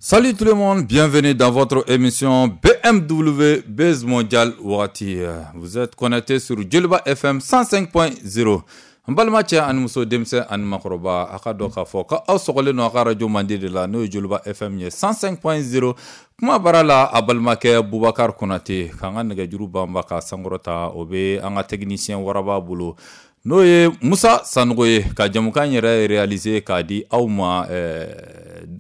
Salut tout le monde, bienvenue dans votre émission BMW Buzz Mondial Wati. Vous êtes connecté sur Djoliba FM 105.0. N balima cɛ ani muso, denmisɛn ani makɔrɔba, a ka dɔn k'a fɔ ko aw sɔgɔlen don a ka radio mandi de la, n'o ye Djoliba FM ye 105.0. Kuma baara la, a balimakɛ Bubakar Konate. K'an ka nɛgɛjuru banba ka sankɔrɔta, o bɛ an ka technicien waraba bolo, n'o ye Musa Sanogo ye, ka jamukan yɛrɛ réaliser k'a di aw ma,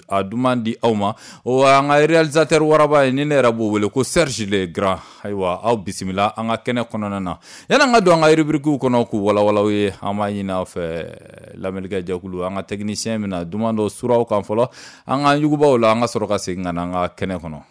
a duman di aw ma. O an ka réalisateur waraba ye, ni ne yɛrɛ b'o wele ko Serge le Grand. Ayiwa, aw bisimila an ka kɛnɛ kɔnɔna na. Yanni an ka don an ka rubrique kɔnɔ k'u walawala aw ye, an b'a ɲini aw fɛ, lamɛnnikɛ jɛkulu, an ka technicien bɛna duman dɔ suraw kan fɔlɔ, an ka yugubaw la, an ka sɔrɔ ka segin ka na an ka kɛnɛ kɔnɔ.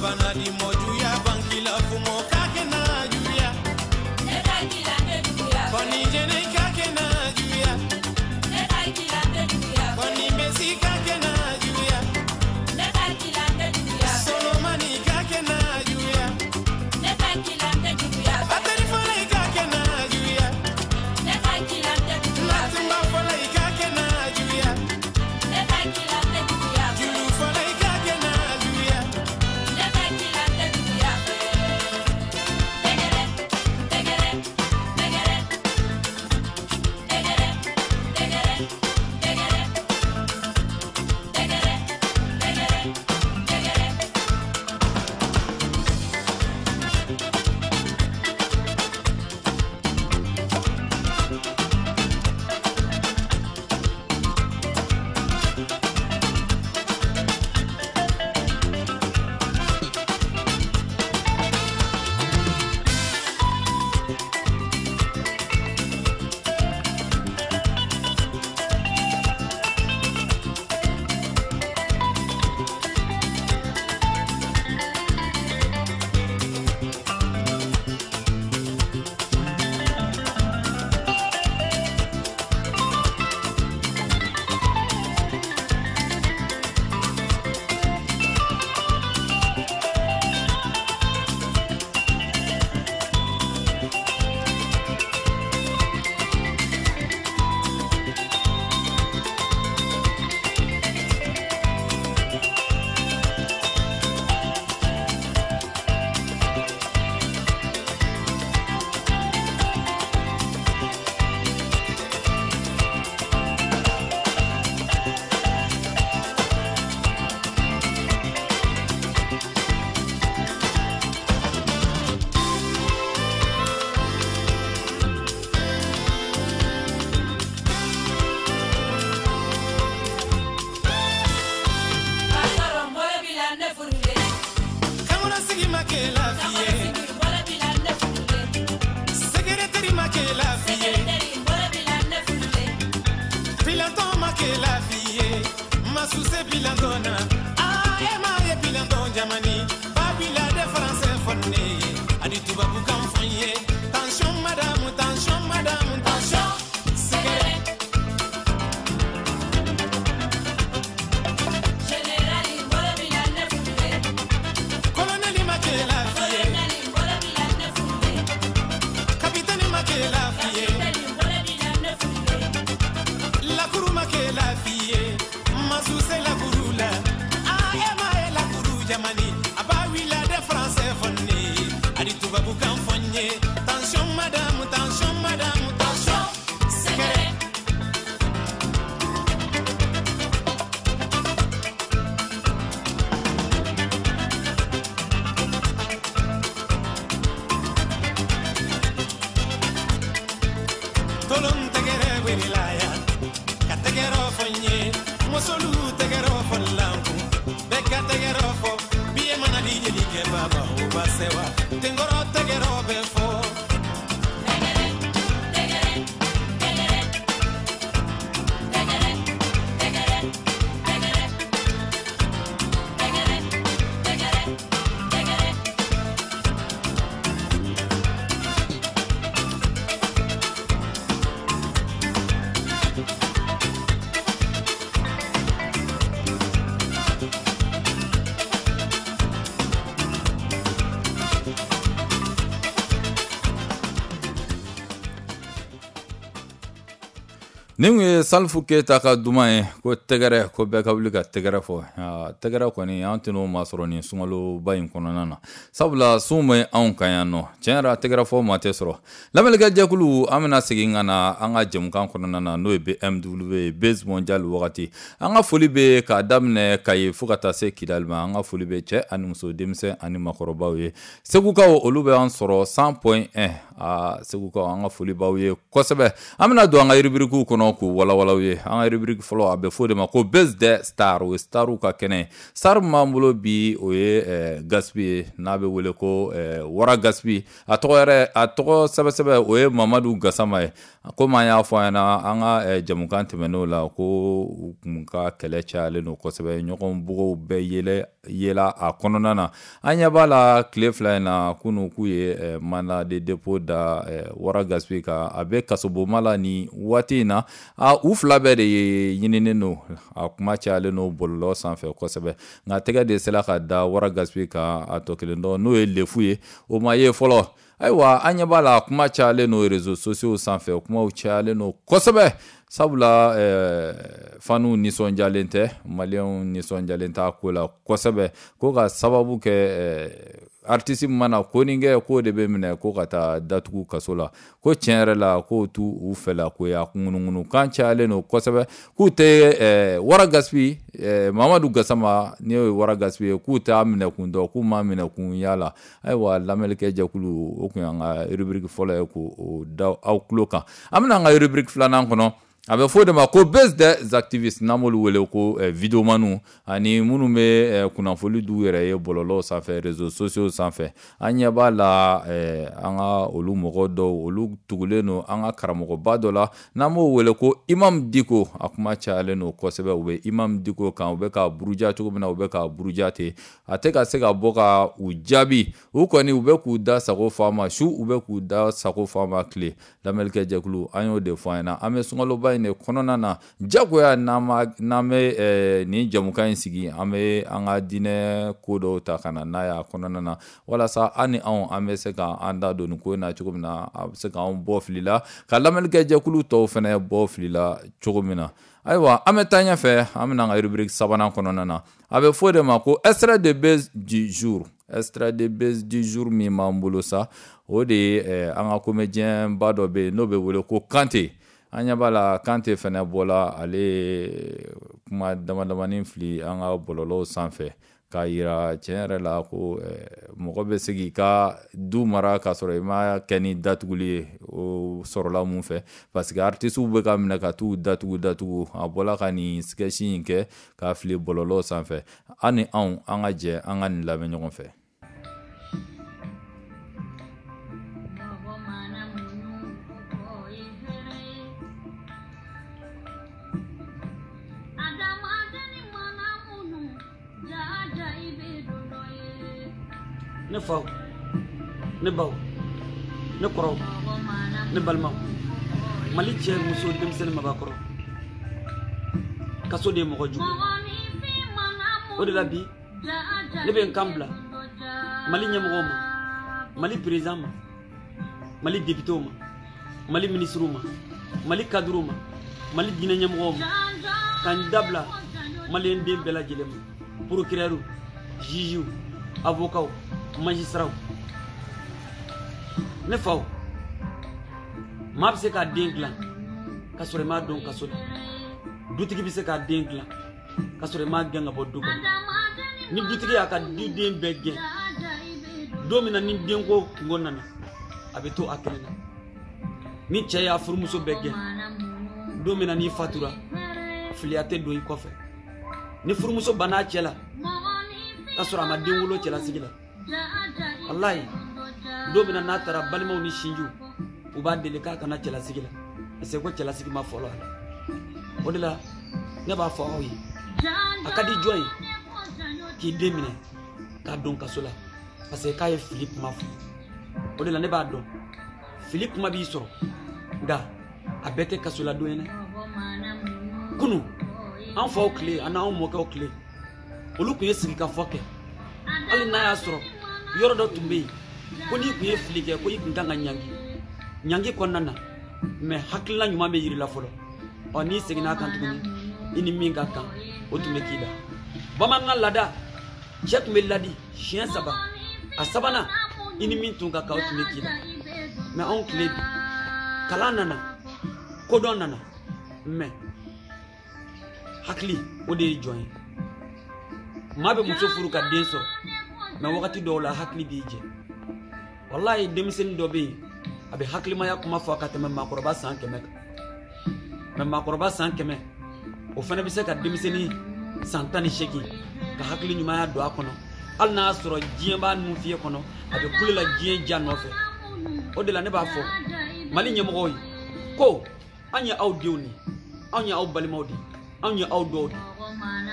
Bana di mojuya bankila fumo kakena. Masuse bilandona ah ema ye bilandon jamani babila de français fonne ani tubabu kan fonye tension madame tension madame tension secret Général bolo bila ne funde colonel makela fiye Colonel bolo bila ne funde capitaine makela fiye Capitaine bolo bila ne funde la kuru makela fiye Masuse la kurula ah ema e la kuru jamani abawila de français fonne ani tubabu kan fonye tension madame tension madame tension Secret Tolon tegere welilaya ka tegero fonye mosolu tegero folanku beka tegero fo biye mana di jeli ke baba o basewa tengoro tegero be fo Tegere tegere tegere tegere tegere tegere tegere tegere tegere Nin kun ye Salifu Keyita ka duman ye ko tɛgɛrɛ ko bɛɛ ka wuli ka tɛgɛrɛ fɔ. Tɛgɛrɛ kɔni an tɛn'o maa sɔrɔ nin sunkaloba in kɔnɔna na, sabula sun bɛ anw kan yan nɔ. Tiɲɛ yɛrɛ tɛgɛrɛ fɔ maa tɛ sɔrɔ. Lamɛnnikɛ jɛkulu, an bɛna segin ka na an ka jɛmukan kɔnɔna na, n'o ye BMW Buzz Mondial wagati. An ka foli bɛ k'a daminɛ Kayi fo ka taa se Kidali ma. An ka foli bɛ cɛ ani muso, denmisɛn ani makɔrɔbaw ye. Segukaw olu bɛ an sɔrɔ 100.1. Aa Segukaw, an ka foli b'aw ye kosɛbɛ. An bɛna don an ka rubrique kɔnɔ k'u walawala ye. An ka rubrique fɔlɔ, a bɛ fɔ o de ma ko Buzz des Stars, o ye starw ka kɛnɛ. Star min b'an bolo bi, o ye Gaspi ye, n'a bɛ wele ko Wara Gaspi. A tɔgɔ yɛrɛ, a tɔgɔ sɛbɛsɛbɛ, o ye Mamadu Gasama ye. Komi an y'a fɔ an ɲɛna an ka jɛmukan tɛmɛnenw la, ko u kun ka kɛlɛ cayalen don kosɛbɛ, ɲɔgɔn bugow bɛɛ yɛlɛ yela a kɔnɔna na. An ɲɛ b'a la tile fila in na, kunun k'u ye mandat de dépôt da Wara Gaspi kan. A bɛ kasobonba la nin waati in na. A u fila bɛɛ de ye ɲininen don, a kuma cayalen don bɔlɔlɔ sanfɛ kosɛbɛ. Nka tɛgɛ de sera ka da Wara Gaspi kan, a tɔ kelen dɔ n'o ye Lefu ye, o ma ye fɔlɔ. Ayiwa, an ɲɛ b'a la kuma cayalen don réseaux sociaux sanfɛ, kumaw cayalen don kosɛbɛ, sabula faniw nisɔndiyalen tɛ, maliyɛnw nisɔndiyalen t'a ko la kosɛbɛ, ko ka sababu kɛ artiste mana ko nin kɛ, k'o de bɛ minɛ ko ka taa datugu kaso la. Ko tiɲɛ yɛrɛ la, k'o t'u u fɛla ko ye. A ŋunuŋunukan cayalen don kosɛbɛ, k'u tɛ Wara Gaspi, Mamadu Gasama n'o ye Wara Gaspi ye, k'u t'a minɛ kun dɔn, k'u m'a minɛ kun yala. Ayiwa, lamɛnnikɛ jɛkulu, o kun y'an ka rubrique fɔlɔ ye k'o da aw tulo kan. An bɛna an ka rubrique filanan kɔnɔ, a bɛ fɔ o de ma ko Buzz des activistes, n'an b'olu wele ko videomaniw, ani minnu bɛ kunnafoni d'u yɛrɛ ye bɔlɔlɔw sanfɛ, réseaux sociaux sanfɛ. An ɲɛ b'a la an ka olu mɔgɔ dɔw, olu tugulen don an ka karamɔgɔba dɔ la, n'an b'o wele ko Imam Diko. A kuma cayalen don kosɛbɛ, u bɛ Imam Diko kan, u bɛ ka buruja cogo min na, u bɛ ka buruja ten, a tɛ ka se ka bɔ ka u jaabi. U kɔni u bɛ k'u da sago fɔ a ma su, u bɛ k'u da sago fɔ a ma tile. Lamɛnnikɛ jɛkulu, an y'o de fɔ an ɲɛna, an bɛ sunkaloba in de kɔnɔna na, jagoya n'an bɛ nin jɛmukan in sigi, an bɛ an ka diinɛ ko dɔw ta ka na n'a ye a kɔnɔna na, walasa an ni anw an bɛ se ka an da don nin ko in na cogo min na, a bɛ se k'anw bɔ fili la, ka lamɛnnikɛ jɛkulu tɔw fana bɔ fili la cogo min na. Ayiwa, an bɛ taa ɲɛfɛ, an bɛna an ka rubrique sabanan kɔnɔna na, a bɛ fɔ o de ma ko extrait de buzz du jour. Extrait de buzz du jour min b'an bolo sa, o de ye an ka comédien ba dɔ bɛ yen n'o bɛ wele ko Kante. An ɲɛ b'a la Kante fɛnɛ bɔla, ale kuma dama damani fili an ka bɔlɔlɔw sanfɛ k'a yira tiɲɛ yɛrɛ la ko mɔgɔ bɛ se k'i ka du mara k'a sɔrɔ i ma kɛ ni datuguli ye. O sɔrɔla mun fɛ? Parce que artistes bɛ ka minɛ ka t'u datugu datugu. A bɔla ka nin sketch in kɛ k'a fili bɔlɔlɔw sanfɛ. An ni anw an ka jɛ an ka nin lamɛn ɲɔgɔn fɛ. Adamaden Ne faw, ne baw, ne kɔrɔw, ne balimaw, Mali cɛ, muso, denmisɛnnin, mabakɔrɔ, kaso de ye mɔgɔ jugu. O de la bi ne bɛ n kan bila Mali ɲɛmɔgɔw ma, Mali président ma, Mali députéw ma, Mali ministrew ma, Mali cadrew ma, Mali diinɛ ɲɛmɔgɔw ma, ka n dabila maliyɛn den bɛɛ lajɛlen ma, procureur, juge, avocat, magistrat. Ne faw, maa bɛ se k'a den dilan ka sɔrɔ i m'a don kaso la. Dutigi bɛ se k'a den dilan ka sɔrɔ i m'a gɛn ka bɔ du kɔnɔ. Ni dutigi y'a ka duden bɛɛ gɛn, don min na ni denko kungo nana, a bɛ to a kelen na. Ni cɛ y'a furumuso bɛɛ gɛn, don min na n'i fatura, filiya tɛ don i kɔfɛ. Ni furumuso banna a cɛ la ka sɔrɔ a ma den wolo cɛlasigi la, walayi, don min na n'a taara, balimaw ni sinjiw u b'a deli k'a kana cɛlasigi la, parce que ko cɛlasigi ma fɔlɔ a la. O de la ne b'a fɔ aw ye, a ka di jɔn ye k'i den minɛ k'a don kaso la parce que k'a ye fili kuma fɔ? O de la ne b'a dɔn fili kuma b'i sɔrɔ, nka a bɛɛ tɛ kasoladon ye dɛ. Kunu an faw tile ani anw mɔkɛw tile, olu tun ye sigikafɔ kɛ. Hali n'a y'a sɔrɔ yɔrɔ dɔ tun bɛ yen ko n'i tun ye fili kɛ, ko i tun kan ka ɲangi, ɲangi kɔnɔna na, mɛ hakilina ɲuman bɛ yiri la fɔlɔ. Ɔ, n'i seginna a kan tuguni, i ni min ka kan, o tun bɛ k'i la. Bamanankan laada, cɛ tun bɛ ladi siɲɛ 3, a sabanan i ni min tun ka kan, o tun bɛ k'i la. Mɛ anw tile bi, kalan nana, kodɔn nana, mɛ hakili o de ye jɔn ye. Maa bɛ muso furu ka den sɔrɔ, mɛ wagati dɔw la hakili b'i jɛ. Walayi, denmisɛnnin dɔ bɛ yen, a bɛ hakilimaya kuma fɔ ka tɛmɛ maakɔrɔba san 100 kan. Mɛ maakɔrɔba san 100, o fana bɛ se ka denmisɛnnin san 18 ka hakili ɲumanya don a kɔnɔ, hali n'a y'a sɔrɔ diɲɛ b'a nun fiyɛ kɔnɔ, a bɛ kule la diɲɛ ja nɔfɛ. O de la ne b'a fɔ Mali ɲɛmɔgɔw ye ko an ye aw denw de ye, anw ye aw balimaw de ye, anw ye aw dɔw de ye.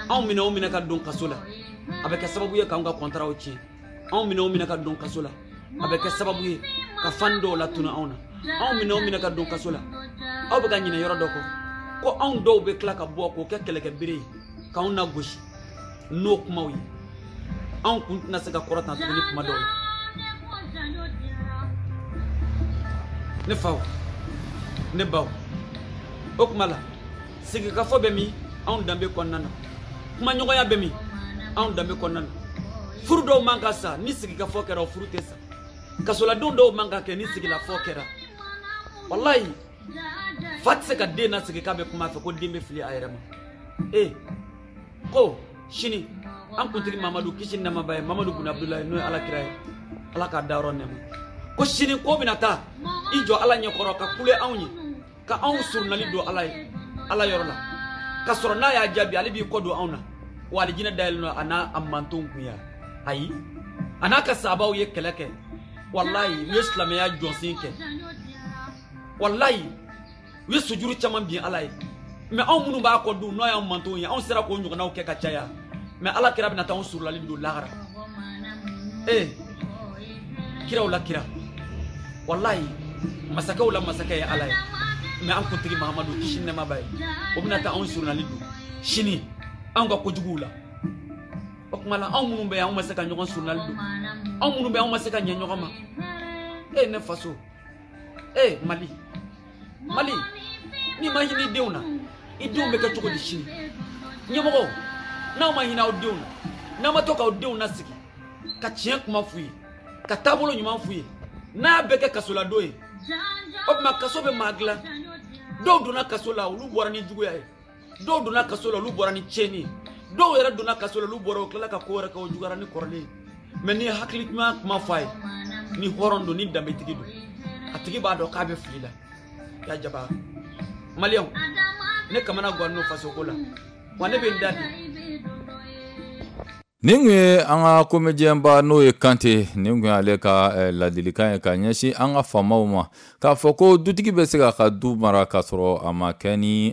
Anw minɛ o minɛ ka don kaso la, a bɛ kɛ sababu ye k'anw ka kɔntaraw tiɲɛ. Anw minɛ o minɛ ka don kaso la, a bɛ kɛ sababu ye ka fan dɔw latunu anw na. Anw minɛ o minɛ ka don kaso la, aw bɛ ka ɲinɛ yɔrɔ dɔ kɔ, ko anw dɔw bɛ tila ka bɔ k'o kɛ kɛlɛkɛbere ye k'anw nagosi n'o kumaw ye. Anw kun tɛna se ka kɔrɔtan tuguni kuma dɔw la. Ne faw, ne baw, o kuma la sigikafɔ bɛ min anw danbe kɔnɔna na, kumaɲɔgɔnya bɛ min anw danbe kɔnɔna na. Furu dɔw man ka sa ni sigikafɔ kɛra, o furu tɛ sa. Kasoladenw dɔw man ka kɛ ni sigilafɔ kɛra. Walayi, fa tɛ se ka den nasigi k'a bɛ kuma a fɛ ko den bɛ fili a yɛrɛ ma. Ee, ko sini an kuntigi Mamadu, kisi ni nɛɛma b'a ye, Mamadu bun Abudulayi, n'o ye Ala kira ye, Ala k'a dayɔrɔ nɛɛma, ko sini ko bɛna taa i jɔ Ala ɲɛkɔrɔ ka kule anw ye, ka anw surunali don Ala ye, Ala yɔrɔ la, ka sɔrɔ n'a y'a jaabi, ale b'i kɔ don anw na, wa alijinɛ dayɛlɛn don a n'a a mantonw kun ya. Ayi, a n'a ka sabaw ye kɛlɛ kɛ, walayi, u ye silamɛya jɔsen kɛ, walayi, u ye sujuru caman bin Ala ye. Mɛ anw minnu b'a kɔ dun, n'o y'an mantonw ye, anw sera k'o ɲɔgɔnnaw kɛ ka caya, mɛ Ala kira bɛna taa anw surulali don lahara. Ee, kiraw la kira, walayi, masakɛw la masakɛ ye Ala ye, mɛ an kuntigi Mahamadu, kisi nɛɛma b'a ye, o bɛna taa anw surunali don sini anw ka kojuguw la. O tuma la anw minnu bɛ yan, anw ma se ka ɲɔgɔn surunali don. Anw minnu bɛ yan, anw ma se ka ɲɛ ɲɔgɔn ma. E ne faso, e Mali, Mali, n'i ma hinɛ i denw na, i denw bɛ kɛ cogo di sini? Ɲɛmɔgɔw, n'aw ma hinɛ aw denw na, n'aw ma to k'aw denw nasigi ka tiɲɛ kuma f'u ye, ka taabolo ɲuman f'u ye, n'a y'a bɛɛ kɛ kasoladon ye, o tuma kaso bɛ maa dilan. Dɔw donna kaso la, olu bɔra ni juguya ye. Dɔw donna kaso la, olu bɔra ni tiɲɛni ye. Dɔw yɛrɛ donna kaso la, olu bɔra, u tilala ka ko wɛrɛ kɛ, o juguyara ni kɔrɔlen ye. Mɛ n'i ye hakili ɲuman kuma fɔ a ye, ni hɔrɔn don, ni danbetigi don, a tigi b'a dɔn k'a bɛ fili la. Ya jaba maliyɛnw, ne kamana gan n'o fasoko la, wa ne bɛ n da di. Nin kun ye an ka comédien ba n'o ye Kante. Nin kun y'ale ka ladilikan ye ka ɲɛsin an ka faamaw ma, k'a fɔ ko dutigi bɛ se k'a ka du mara k'a sɔrɔ a ma kɛ ni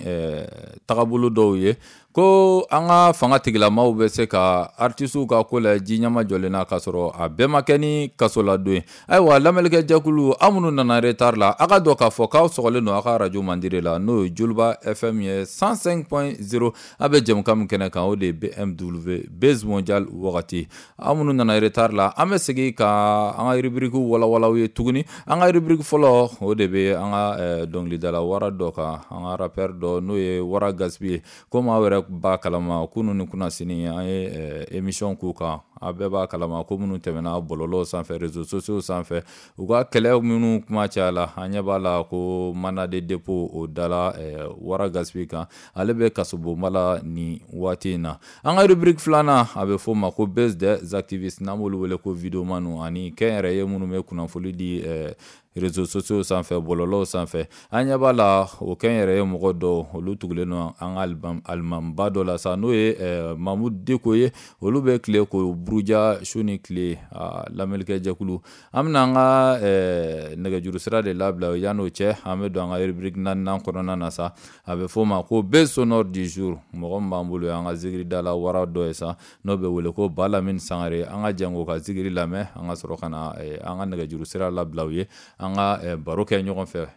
tagabolo dɔw ye. Ko an ka fanga tigilamaw bɛ se ka artisiw ka ko la ji ɲɛma jɔlen na k'a sɔrɔ a bɛɛ ma kɛ ni kasoladon ye. Ayiwa, lamɛnnikɛ jɛkulu, aw minnu nana retard la, a ka dɔn k'a fɔ k'aw sɔgɔlen don aw ka radio mandire la, n'o ye Joliba FM ye 105.0. A bɛ jɛmukan min kɛnɛ kan, o de ye BMW Buzz Mondial wagati. Aw minnu nana retard la, an bɛ segin ka an ka rubrique walawalaw ye tuguni. An ka rubrique fɔlɔ, o de bɛ an ka dɔnkilidala wara dɔ kan, an ka rappeur dɔ, n'o ye Wara Gaspi ye. Komi aw yɛrɛ b'a kalama, kunun ni kunnasini an ye émission k'u kan. A bɛɛ b'a kalama ko minnu tɛmɛna bɔlɔlɔw sanfɛ, réseaux sociaux sanfɛ, u ka kɛlɛ minnu kuma caya la, an ɲɛ b'a la ko mandat de dépôt o dala Wara Gaspi kan. Ale bɛ kasobonba la nin waati in na. An ka rubrique filanan, a bɛ f'o ma ko Buzz des activistes, n'an b'olu wele ko videomanu ani kɛnyɛrɛye minnu bɛ kunnafoni di réseaux sociaux sanfɛ, bɔlɔlɔw sanfɛ. An ɲɛ b'a la o kɛnyɛrɛye mɔgɔ dɔw, olu tugulen don an ka alimamiba dɔ la sa, n'o ye Mamudu Diko ye. Olu bɛ tile k'o buruja su ni tile. Lamɛnnikɛ jɛkulu, an bɛna an ka nɛgɛjuru sira de labila. Yan'o cɛ, an bɛ don an ka rubrique naaninan kɔnɔna na sa, a bɛ f'o ma ko Buzz sonore du jour. Mɔgɔ min b'an bolo, an ka zikiridala wara dɔ ye sa, n'o bɛ wele ko Balamine Sangare. An ka jɛn k'o ka zikiri lamɛn, an ka sɔrɔ ka na an ka nɛgɛjuru sira labila u ye, an ka baro kɛ ɲɔgɔn fɛ.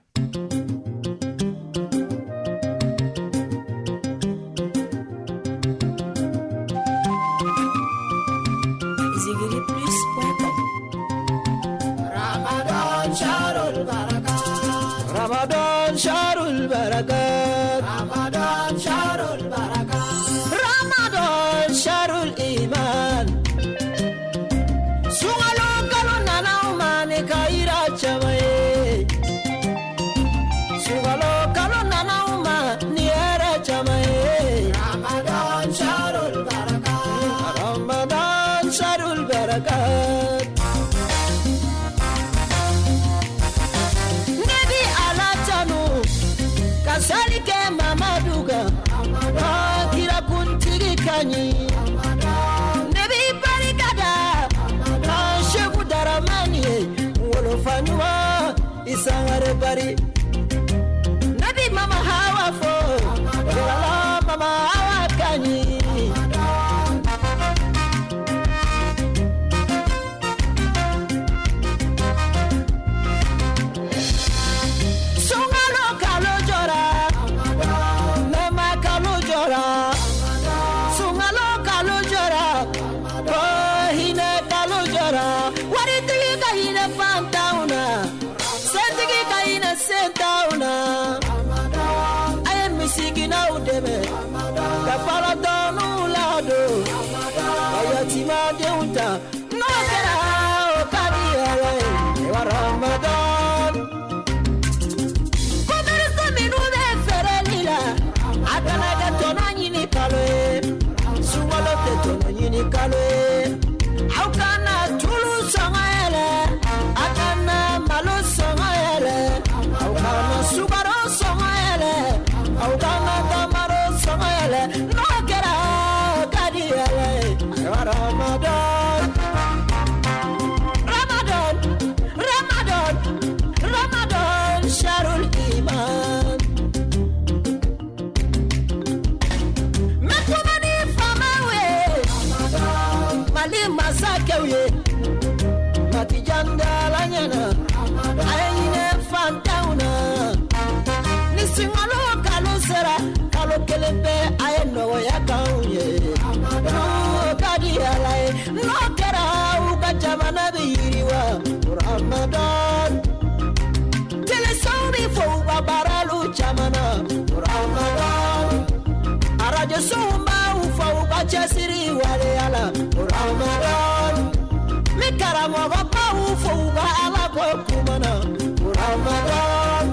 Zigiriplus.com. Ramadan Sharul Barakat, Ramadan Sharul Barakat, Ramadan Sharul Barakat, Ramadan Sharul Iman. Sungalo kalo nana umane kaira chamaye. Sungalo kalo nana umane era chamaye. Ramadan Sharul Barakat, Ramadan Sharul Barakat. Nebi Ala tanu ka sali kɛ Mamadu kan, kira kuntigi ka ɲi. Ne b'i barika da ka Seku Daramani ye, wolofa ɲuman i Sangare bari. Ne bi Mama Hawa fo, Jɔlɔ Mama Hawa ka ɲi. Sunkalo kalo jɔra, nɛɛma kalo jɔra. Sunkalo kalo jɔra, ko hinɛ kalo jɔra. Waritigi ka hinɛ fantanw na, sentigi ka hinɛ sentanw na. A ye misikinaw dɛmɛ, ka falatɔninw ladon, ka yatimadenw ta. N'o kɛra, o ka di Ala ye. Ayiwa Ramadan. Commerce minnu bɛ feereli la, a kana kɛ tɔnɔ ɲini kalo ye. Sunkalo tɛ tɔnɔ ɲini kalo ye. Aw kana tulu sɔngɔ yɛlɛ, a kana malo sɔngɔ yɛlɛ, aw kana sukaro sɔngɔ yɛlɛ, aw kana tamaro sɔngɔ yɛlɛ. N'o kɛra, o ka di Ala ye. Ayiwa Ramadan. Ramadan, Ramadan, Ramadan, Sharul Iman. Mɛtuma ni faamaw ye, Mali masakɛw ye, Matijandala ɲɛna, a ye hinɛ fantanw na. Ni sunkalo kalo sera, kalo kelen bɛɛ a ye nɔgɔya k'anw ye. N'o ka di Ala ye, n'o kɛra u ka jamana bɛ yiriwa. Ramadan. Telesow bɛ fɔ u ka baaralu caman na. Ramadan. Arajosow b'aw fɔ u ka cɛsiri waleya la. Ramadan. N bɛ karamɔgɔbaw fɔ u ka Ala ko kuma na. Ramadan.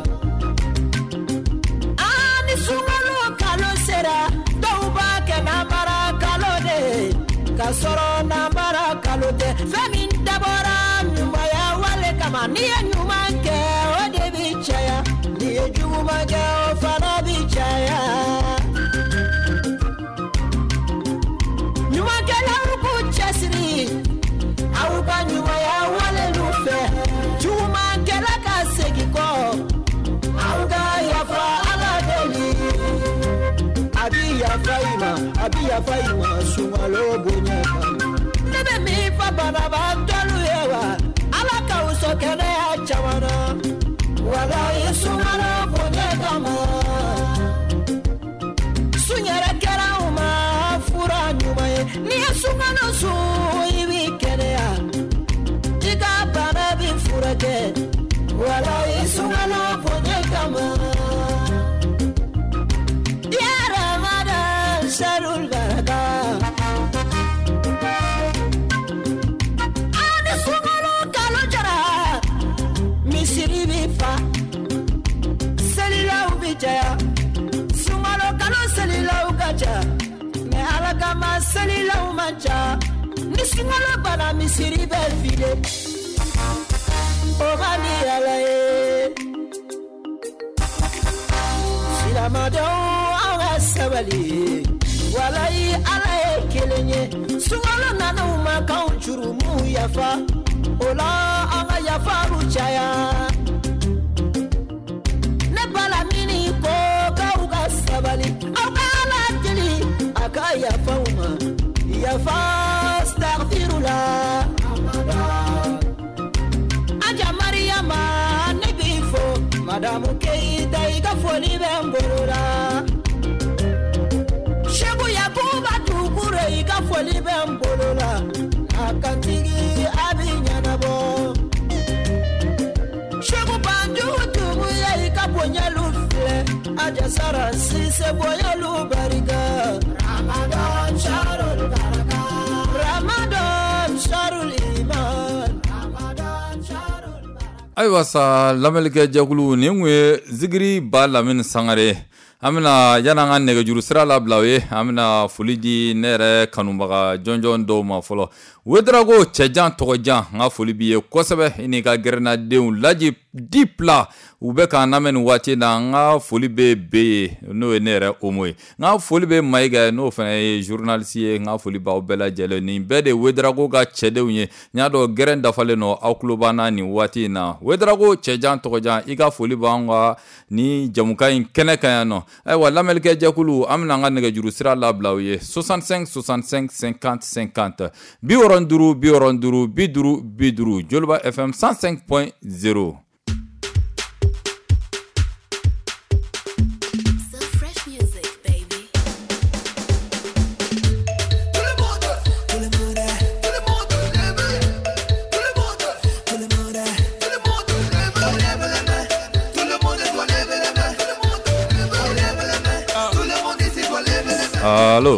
Aa ni sunkalo kalo sera, dɔw b'a kɛ namara kalo de ye, k'a sɔrɔ namara kalo tɛ. Fɛn min dabɔra ɲumanya wale kama, n'i ye ɲuman kɛ, o de bi caya. N'i ye juguman kɛ, o fana bi caya. Ɲumankɛlaw k'u cɛsiri, aw ka ɲumanya walelu fɛ. Jugumankɛla ka segin kɔ, aw ka yafa Ala deli, a bi yafa i ma. yafa i ma sunkalo bonya kama. Ne bɛ min fɔ banabaatɔlu ye wa, Ala k'aw sɔn kɛnɛya caman na. Walayi sunkalo bonya kama. Sun yɛrɛ kɛra anw ma fura ɲuman ye. N'i ye sunkalo sun i b'i kɛnɛya. I ka bana b'i furakɛ. Walayi sunkalo bonya kama. Ya Ramadan sharul baraka. Ani sunkalo kalo jara, misiri bi fa, selilaw bi caya. Sunkalo kalo selilaw ka ca, mais Ala kama selilaw man ca. Ni sunkalo banna misiri bɛ file. O man di Ala ye. Silamɛdenw aw ka sabali. Walayi Ala ye kelen ye. Sunkalo nana u ma k'anw jurumuw yafa. O la an ka yafaru caya. Ne Balamini ko k'aw ka sabali. Aw ka Ala deli a ka yafa u ma. Yafa astaghfirullah. Aja Mariama ne b'i fo. Madamu Keita i ka foli bɛ n bolo la. Seku Yakuba Dukure i ka foli bɛ n bolo la. A kantigi a bi ɲɛnabɔ. Seku Banjugu Dunbuya i ka bonyalu filɛ. Aja Sara Sise bonyalu barika. Ramadan sharul baraka. Ramadan sharul iman. Ramadan sharul baraka. Ayiwa sa lamɛnlikɛ jɛkulu nin kun ye Zikiri Ba Lamini Sangare. An bɛna yan'an ka nɛgɛjuru sira labila o ye, an bɛna foli di ne yɛrɛ kanubaga jɔnjɔn dɔw ma fɔlɔ. Wedarago cɛjan tɔgɔjan, n ka foli b'i ye kosɛbɛ, i n'i ka gɛrɛnadenw Laji Dipla u bɛ k'an lamɛn nin waati na. N ka foli bɛ B ye, n'o ye ne yɛrɛ Omo ye. N ka foli bɛ Mayiga ye, n'o fana ye journaliste ye. N ka foli b'aw bɛɛ lajɛlen. Nin bɛɛ de Wedarago ka cɛdenw ye. N y'a dɔn gɛrɛn dafalen don aw tulo b'an na nin waati in na. Wedarago cɛjan tɔgɔjan, i ka foli b'an ka ni jamukan in kɛnɛ kan yan nɔ. Ayiwa lamɛnlikɛ jɛkulu, an bɛna an ka nɛgɛjuru sira labila aw ye 65 65 50 50 65 65 50 Joliba FM 105.0. So fresh music, baby. Tout le monde, tout le monde, tout le monde lève. Tout le monde, tout le monde, tout le monde lève. Lève la main. Tout le monde doit lever la main. Tout le monde lève la main. Tout le monde ici doit lever la main. Allo.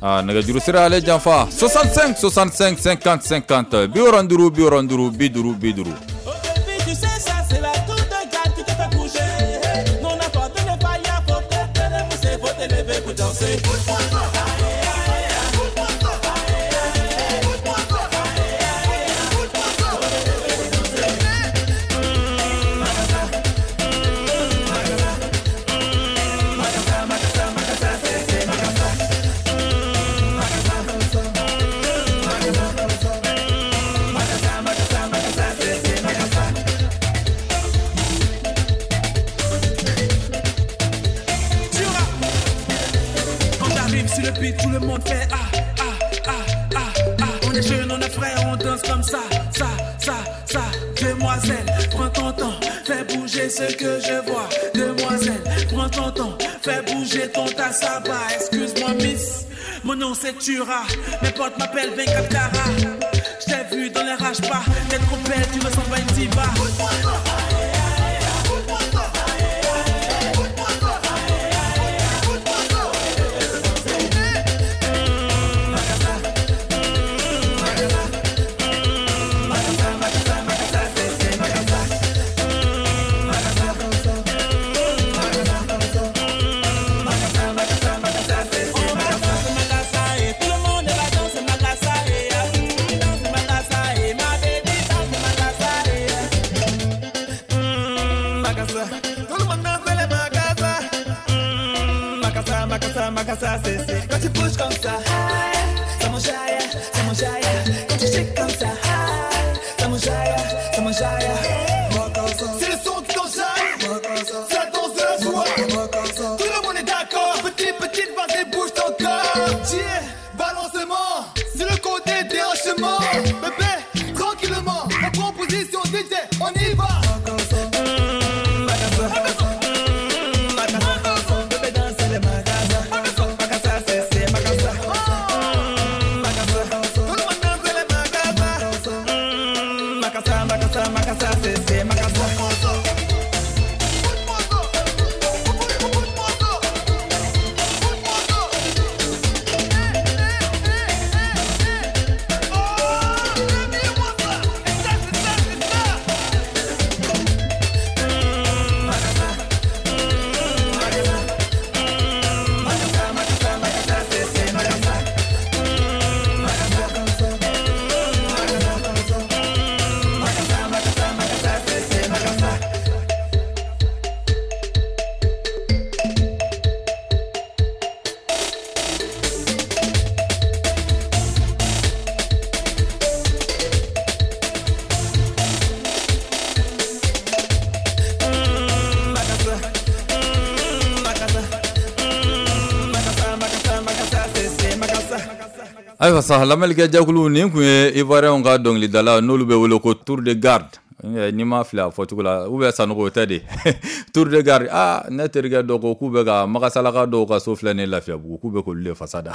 Ah, nɛgɛjuru sira ale janfa 65 65 50 50 65 65 50 50. Oh baby, tu sais ça, c'est la toute gars qui te fait bouger. Non, n'importe ne pas y a, faut te pousser, faut te lever pour danser. Quand j'arrive sur le beat, tout le monde fait ah, ah, ah, ah, ah. On est jeunes, on est frères, on danse comme ça, ça, ça, ça. Demoiselle, prends ton temps, fais bouger ce que je vois. Demoiselle, prends ton temps, fais bouger ton tassaba. Excuse-moi, miss, mon nom c'est Tura. Mes potes m'appellent 24 carats. Je t'ai vu dans les rage-pas, t'es trop belle, tu ressembles à une diva. Makasa, c'est quand tu bouges comme ça, ça m'enjaille, ça m'enjaille. Quand tu shakes comme ça, ça m'enjaille, ça m'enjaille. C'est le son qui t'enjaille, c'est la danse de la joie. Tout le monde est d'accord, petit, petite, vas-y. Makasa, makasa, c'est makasa. Ayiwa sa, lamɛnnikɛ jɛkulu, nin tun ye Ivoirien ka dɔnkilidala, n'olu bɛ wele ko Tour de Garde, n'i ma fili a fɔcogo la, ou bien Sanogo, o tɛ de Tour de Garde. Aa, ne terikɛ dɔ ko k'u bɛ ka Magasalaka dɔw ka so filɛ nin ye Lafiyabugu, k'u bɛ k'olu de fasa da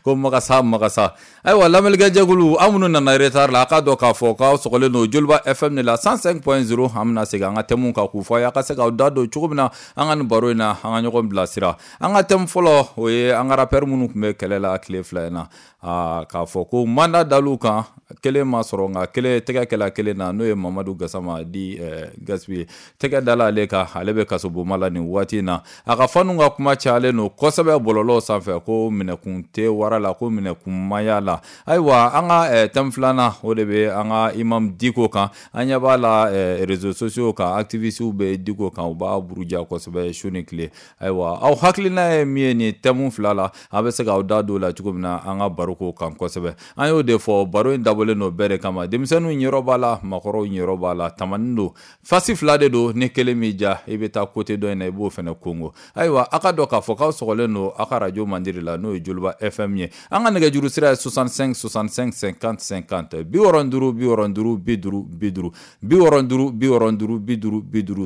ko Magasa Magasa. Ayiwa, lamɛnnikɛ jɛkulu, aw minnu nana retard la, a k'a dɔn k'a fɔ k'aw sɔgɔlen don Joliba FM de la 105.0. An bɛna segin an ka thème kan k'u fɔ a ye, a ka se k'aw da don cogo min na an ka nin baro in na, an ka ɲɔgɔn bilasira. An ka thème fɔlɔ, o ye an ka rappeur minnu tun bɛ kɛlɛ la tile 2 in na, aa, k'a fɔ ko mandat dal'u kan, kelen ma sɔrɔ, nka kelen tɛgɛ kɛla kelen na, n'o ye Mamadu Gasama di Gaspi ye. Tɛgɛ dala ale kan, ale bɛ kasobonba la nin waati in na. A ka fanu ka kuma cayalen don kosɛbɛ bɔlɔlɔw sanfɛ, ko minɛkun tɛ wara la, ko minɛkun maya la. Ayiwa, an ka thème filanan, o de bɛ an ka imam Diko kan. An ɲɛ b'a la réseaux sociaux kan, activistes bɛ Diko kan, u b'a buruja kosɛbɛ su ni tile. Ayiwa, aw hakilina ye min ye nin thème fila la, a bɛ se k'aw da don o la cogo min na an ka baro ko kan kosɛbɛ. An y'o de fɔ, baro in dabɔlen don bɛɛ de kama. Denmisɛnninw ɲɛyɔrɔ b'a la, maakɔrɔw ɲɛyɔrɔ b'a la, tamani don, fasi fila de don. Ni kelen m'i diya, i bɛ taa côté dɔ in na, i b'o fana kongo. Ayiwa, a ka dɔn k'a fɔ k'aw sɔgɔlen don aw ka radio mandiri la, n'o ye Joliba FM ye. An ka nɛgɛjuru sira ye 65 65 50 50, 65 65 50 50,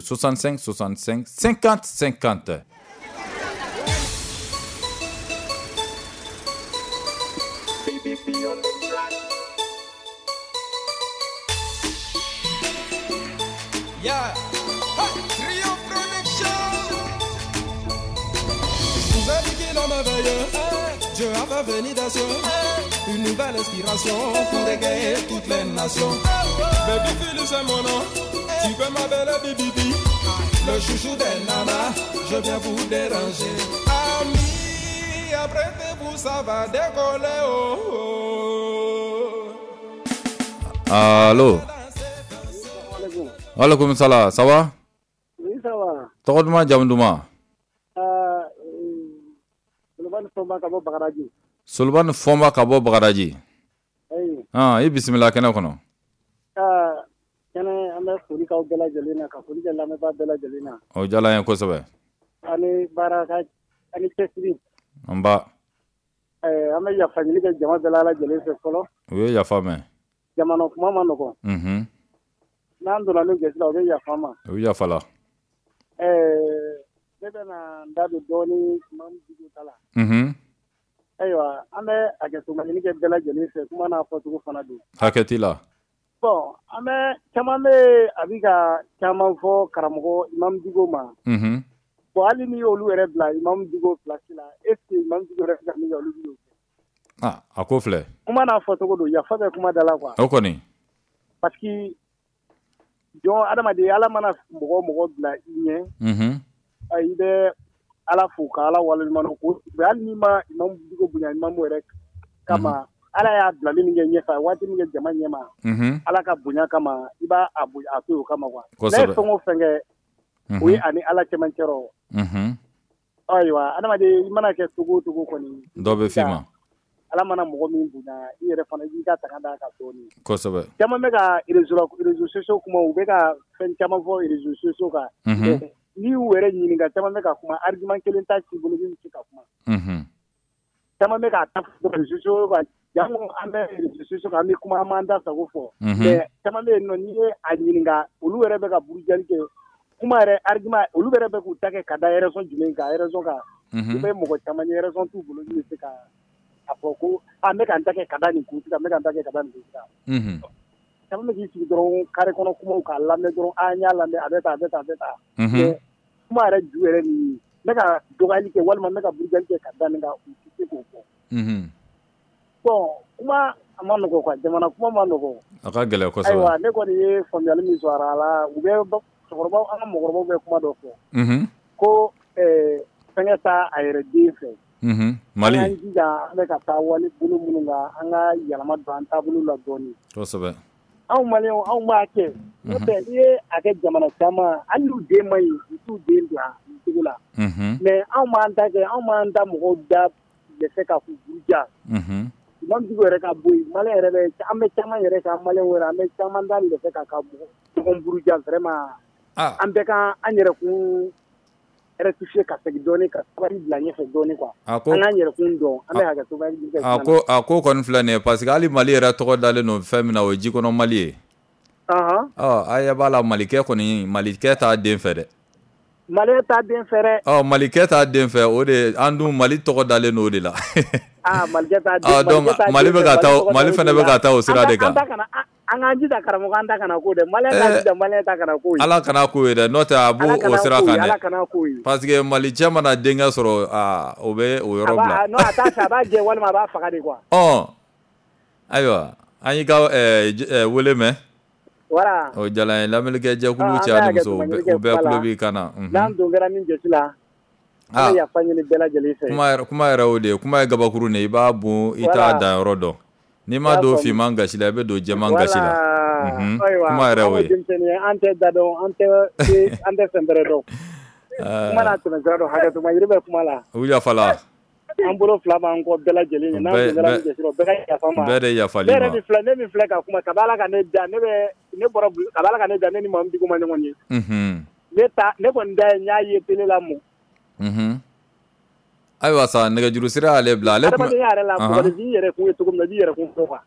65 65 50 50, 65 65 50 50. Yeah. Hey, Rio Production. Vous avez dit qu'il en merveilleux. Dieu a fait venir des cieux une nouvelle inspiration pour égayer toutes les nations. Baby Philly, c'est mon nom. Tu peux m'appeler BBB. Le chouchou des nanas, je viens vous déranger. Amis, apprêtez-vous, ça va décoller. Oh, oh. Allo? Waaleykum salam, ça va? Oui, ça va. Tɔgɔ duman, jamu duman? Solomani Fɔnba ka bɔ Bagadaji. Solomani Fɔnba ka bɔ Bagadaji. Oui. Ah, i bisimila kɛnɛ kɔnɔ. Kɛnɛ, an bɛ foli k'aw bɛɛ lajɛlen na, ka foli kɛ lamɛnbaa bɛɛ lajɛlen na. O diyara an ye kosɛbɛ. Ani baara ka ani cɛsiri. Nba. An bɛ yafa ɲini kɛ jama bɛɛ lajɛlen fɛ fɔlɔ. U ye yafa mɛn. Jamana kuma ma nɔgɔn. N'an donna ni gasi la, u bɛ yafa ma. U bɛ yafa la. Ne bɛna n da don dɔɔni Imam Diko ta la. Ayiwa, an bɛ hakɛto ɲini kɛ bɛɛ lajɛlen fɛ, kuma n'a fɔcogo fana don. Hakɛ t'i la. Bon, an bɛ caman bɛ a bɛ ka caman fɔ karamɔgɔ Imam Diko ma. Bon, hali n'i y'olu yɛrɛ bila Imam Diko place la, est ce que Imam Diko yɛrɛ bɛ ka min kɛ, olu b'o kɛ? Ah, a ko filɛ. Kuma n'a fɔcogo don, yafa bɛ kuma da la quoi. O kɔni. Parce que jɔn adamaden, Ala mana mɔgɔ mɔgɔ bila i ɲɛ, i bɛ Ala fo ka Ala waleɲuman dɔn ko hali n'i ma Imam Diko bonya Imam yɛrɛ kama, Ala y'a bilali min kɛ ɲɛfɛ, waati min kɛ jama ɲɛma, Ala ka bonya kama, i b'a a bonya a to yen o kama quoi. N'a ye fɛn o fɛn kɛ, o ye ani Ala cɛmancɛ rɔ. Ayiwa, adamaden, i mana kɛ cogo o cogo kɔni, dɔ bɛ f'i ma. Ala mana mɔgɔ min bonya, i yɛrɛ fana i b'i ka tanga d'a kan dɔɔni. Kosɛbɛ. Caman bɛ ka réseaux sociaux kuma, u bɛ ka fɛn caman fɔ réseaux sociaux kan. N'i y'u yɛrɛ ɲininka, caman bɛ ka kuma, argument kelen t'a si bolo min bɛ se ka kuma. Caman bɛ k'a ta réseaux sociaux kan, jango an bɛ réseaux sociaux kan, an bɛ kuma, an b'an da sago fɔ. Mais caman bɛ yen nɔ, n'i ye a ɲininka, olu yɛrɛ bɛ ka burujali kɛ. Kuma yɛrɛ argument, olu yɛrɛ bɛ k'u ta kɛ ka da raison jumɛn kan, raison kan. I bɛ mɔgɔ caman ye, raison t'u bolo min bɛ se ka a fɔ ko a n bɛ ka n ta kɛ ka da nin kun kan, n bɛ ka n ta kɛ ka da nin kun kan. Caman bɛ k'i sigi dɔrɔn carré kɔnɔ kumaw k'a lamɛn dɔrɔn an y'a lamɛn a bɛ tan a bɛ tan a bɛ tan. Mais kuma yɛrɛ ju yɛrɛ nin ye n bɛ ka dɔgɔyali kɛ walima n bɛ ka burujali kɛ ka da nin kan u tɛ se k'o fɔ. Bon kuma a ma nɔgɔ quoi jamana kuma ma nɔgɔ. A ka gɛlɛn kosɛbɛ. Ayiwa ne kɔni ye faamuyali min sɔrɔ a la u bɛ cɛkɔrɔbaw an ka mɔgɔkɔrɔbaw bɛ kuma dɔ fɔ. Ko fɛnkɛ t'a a yɛrɛ den fɛ. Mali. An k'an jija an bɛ ka taa wale bolo minnu kan an ka yɛlɛma don an taabolo la dɔɔnin. Kosɛbɛ. Anw maliyɛnw anw b'a kɛ. N'o tɛ n'i ye a kɛ jamana caman hali n'u den man ɲi u t'u den bila nin cogo la. Mais anw b'an ta kɛ anw b'an da mɔgɔw da dɛsɛ ka k'u buruja. Imam Dicko yɛrɛ ka bɔ yen maliyɛn yɛrɛ bɛ an bɛ caman yɛrɛ kan maliyɛnw yɛrɛ an bɛ caman da dɛsɛ ka ɲɔgɔn buruja vraiment. An bɛɛ ka an yɛrɛkun rectifier ka segin dɔɔnin ka sabali bila ɲɛfɛ dɔɔnin quoi. An k'an yɛrɛkun dɔn an bɛ hakɛto a ko kɔni filɛ nin ye parce que hali Mali yɛrɛ tɔgɔ dalen don fɛn min na o ye jikɔnɔ Mali ye. Ɔ a ɲɛ b'a la Malikɛ kɔni Malikɛ t'a den fɛ dɛ. Maliyɛn t'a den fɛ dɛ. Ɔ Malikɛ t'a den fɛ o de an dun Mali tɔgɔ dalen don o de la. Malikɛ t'a den donc Mali bɛ ka taa Mali fana bɛ ka taa o sira de kan. An k'an jija karamɔgɔ an ta kana k'o dɛ maliyɛn k'a jija maliyɛn ta kana k'o ye. Ala kana k'o ye dɛ n'o tɛ a b'o o sira kan dɛ. Ala kana k'o ye. Parce que Mali cɛ mana denkɛ sɔrɔ o bɛ o yɔrɔ bila. Non a t'a fɛ a b'a jɛ walima a b'a faga de quoi. Ɔ ayiwa an y'i ka wele mɛn. Voilà. O diyara n ye lamɛnnikɛ jɛkulu cɛ ani muso u bɛɛ tulo b'i kan na. N'an don kɛra min jɔsi la. An bɛ yafa ɲini bɛɛ lajɛlen fɛ. Kuma yɛrɛ o de ye kuma ye gabakuru de ye i b'a bon i t'a dan yɔrɔ dɔn. N'i ma don finman gasi la i bɛ don jɛman gasi la. Kuma yɛrɛ o ye. An tɛ da dɔn an tɛ fɛn bɛrɛ dɔn. Kuma n'a tɛmɛsira dɔn hakɛtuma yiri bɛ kuma la. U yafala. An bolo fila b'an kɔ bɛɛ lajɛlen ye n'an don kɛra min gasi la bɛɛ ka yafa n ma. Bɛɛ de yafal'i ma. Ne min filɛ ka kuma kabi Ala ka ne da ne ne bɔra kabi Ala ka ne da ne ni Mamu Dicko ma ɲɔgɔn ye. Ne kɔni da ye n y'a ye télé la mɔ. Ayiwa sa nɛgɛjuru sira y'ale bila ale adamadenya yɛrɛ la mɔgɔninfin yɛrɛ kun ye cogo min na i b'i yɛrɛ kun fɔ quoi.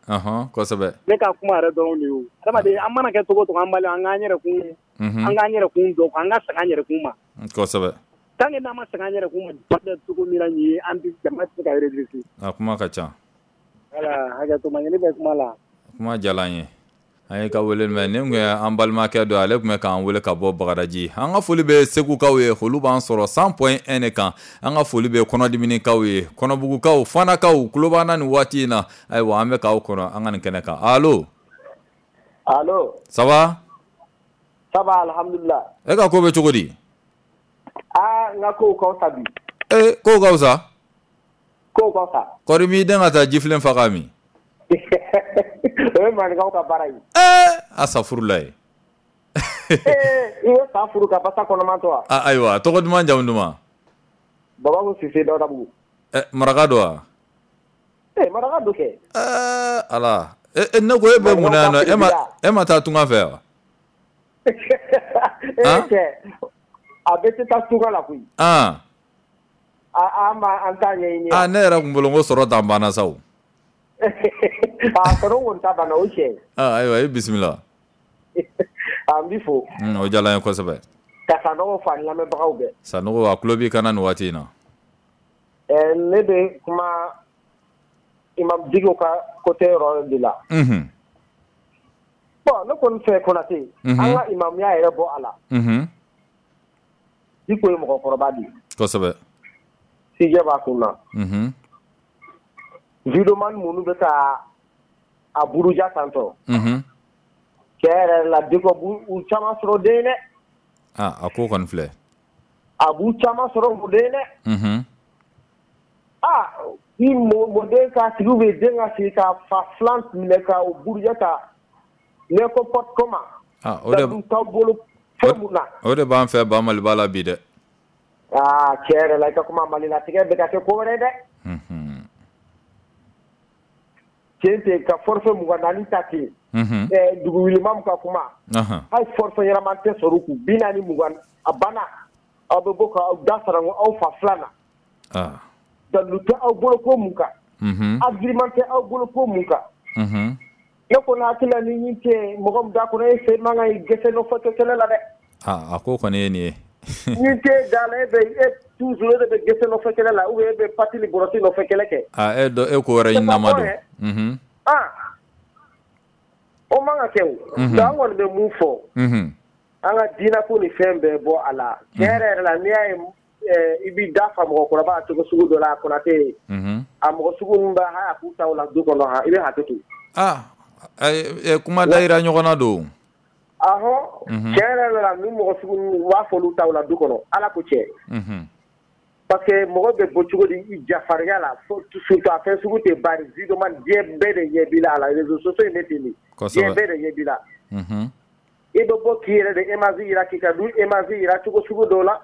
Kosɛbɛ. Ne ka kuma yɛrɛ dɔrɔn de ye o adamaden an mana kɛ cogo o cogo an bali an k'an yɛrɛ kun an k'an yɛrɛ kun dɔn an ka segin an yɛrɛ kun ma. Kosɛbɛ. Tant que n'an ma segin an yɛrɛ kun ma bɛ cogo min na nin ye an tɛ jama tɛ se ka redresser. A kuma ka ca. Voilà hakɛto ɲini bɛ kuma la. Kuma diyara n ye. An ye ka wele mɛn nin tun ye an balimakɛ dɔ ale tun bɛ k'an wele ka bɔ Bagadaji an ka foli bɛ Segukaw ye olu b'an sɔrɔ 100.1 de kan an ka foli bɛ kɔnɔdiminikaw ye kɔnɔbugukaw fanakaw tulo b'an na nin waati in na ayiwa an bɛ k'aw kɔnɔ an ka nin kɛnɛ kan allo allo ça va ça va alhamdulillah e ka ko bɛ cogo di n ka kow ka fisa bi kow ka fisa kow ka fisa kɔri m'i den ka taa jifilen fa k'a min o ye maninkaw ka baara ye. A safurula ye. I ye fa furu ka basa kɔnɔman to wa? Ayiwa tɔgɔ duman jamu duman? Babaku Sise Dawudabugu. Maraka don wa? Maraka don kɛ. Ala ne ko e bɛ mun na yan nɔ e ma taa tunga fɛ wa? Cɛ a bɛɛ tɛ taa tunga la koyi. An b'an ta ɲɛɲini. Ne yɛrɛ kun bolo ko sɔrɔ dan banna sa o. A sɔrɔ kɔni ta banna o tiɲɛ ye. Ayiwa i bisimila. An b'i fo. O diyara n ye kosɛbɛ. Ka Sanogo fo ani lamɛnbagaw bɛɛ. Sanogo a tulo b'i kan na nin waati in na. Ne bɛ kuma Imam Dicko ka côté yɔrɔ de la. Bon ne kɔni fɛ Konate. An ka imamuya yɛrɛ bɔ a la. Dicko ye mɔgɔkɔrɔba de ye. Kosɛbɛ. Sijɛ b'a kun na. Videoman minnu bɛ ka a buruja tantɔ. Cɛ yɛrɛ la Dicko b'u caman sɔrɔ den dɛ. A ko kɔni filɛ. A b'u caman sɔrɔ u den dɛ. Ni mɔden ka sigi bɛ den ka sigi ka fa filan minɛ ka o buruja ta n'importe comment. O de t'aw bolo fɛn mun na. O de b'an fɛ ba Maliba la bi dɛ. Cɛ yɛrɛ la i ka kuma Malilatigɛ bɛ ka kɛ ko wɛrɛ dɛ. Tiɲɛ tɛ ka forfait 24 ta ten. Dugu wulima ka kuma. Hali forfait ɲɛnama tɛ sɔrɔ u kun 40 20 a banna aw bɛ bɔ k'aw da fara aw fa filan na. Dalilu tɛ aw bolo ko mun kan. Argument tɛ aw bolo ko mun kan. Ne kɔni hakili la ni ɲin tɛ mɔgɔ min da kɔnɔ e sen man kan k'i gɛsɛ nɔfɛ kɛlɛ la dɛ. A ko kɔni ye nin ye. Ni tɛ da la e bɛ e toujours e de bɛ gɛsɛ nɔfɛ kɛlɛ la ou bien e bɛ pati ni bɔrɔti nɔfɛ kɛlɛ kɛ. E ko wɛrɛ ɲinama don. O man ka kɛ o. Donc an kɔni bɛ mun fɔ. An ka diinɛ ko ni fɛn bɛɛ bɔ a la. Tiɲɛ yɛrɛ yɛrɛ la, n'i y'a ye i b'i da fa mɔgɔkɔrɔba cogo sugu dɔ la, a Konate. A mɔgɔ sugu ninnu b'a hali a k'u ta o la du kɔnɔ han, i bɛ hakɛ to. Ah, kuma dayira ɲɔgɔn na don. Ahɔ, tiɲɛ yɛrɛ yɛrɛ la, ni mɔgɔ sugu ninnu, u b'a fɔ olu ta o la du kɔnɔ, Ala ko tiɲɛ. Parce que mɔgɔ bɛ bɔ cogo di i jafarinya la, surtout a fɛn sugu tɛ bari vidéoman, diɲɛ bɛɛ de ɲɛ b'i la a la, réseaux sociaux in bɛ ten de. Diɲɛ bɛɛ de ɲɛ b'i la. I bɛ bɔ k'i yɛrɛ de image jira, k'i ka du image jira cogo sugu dɔw la.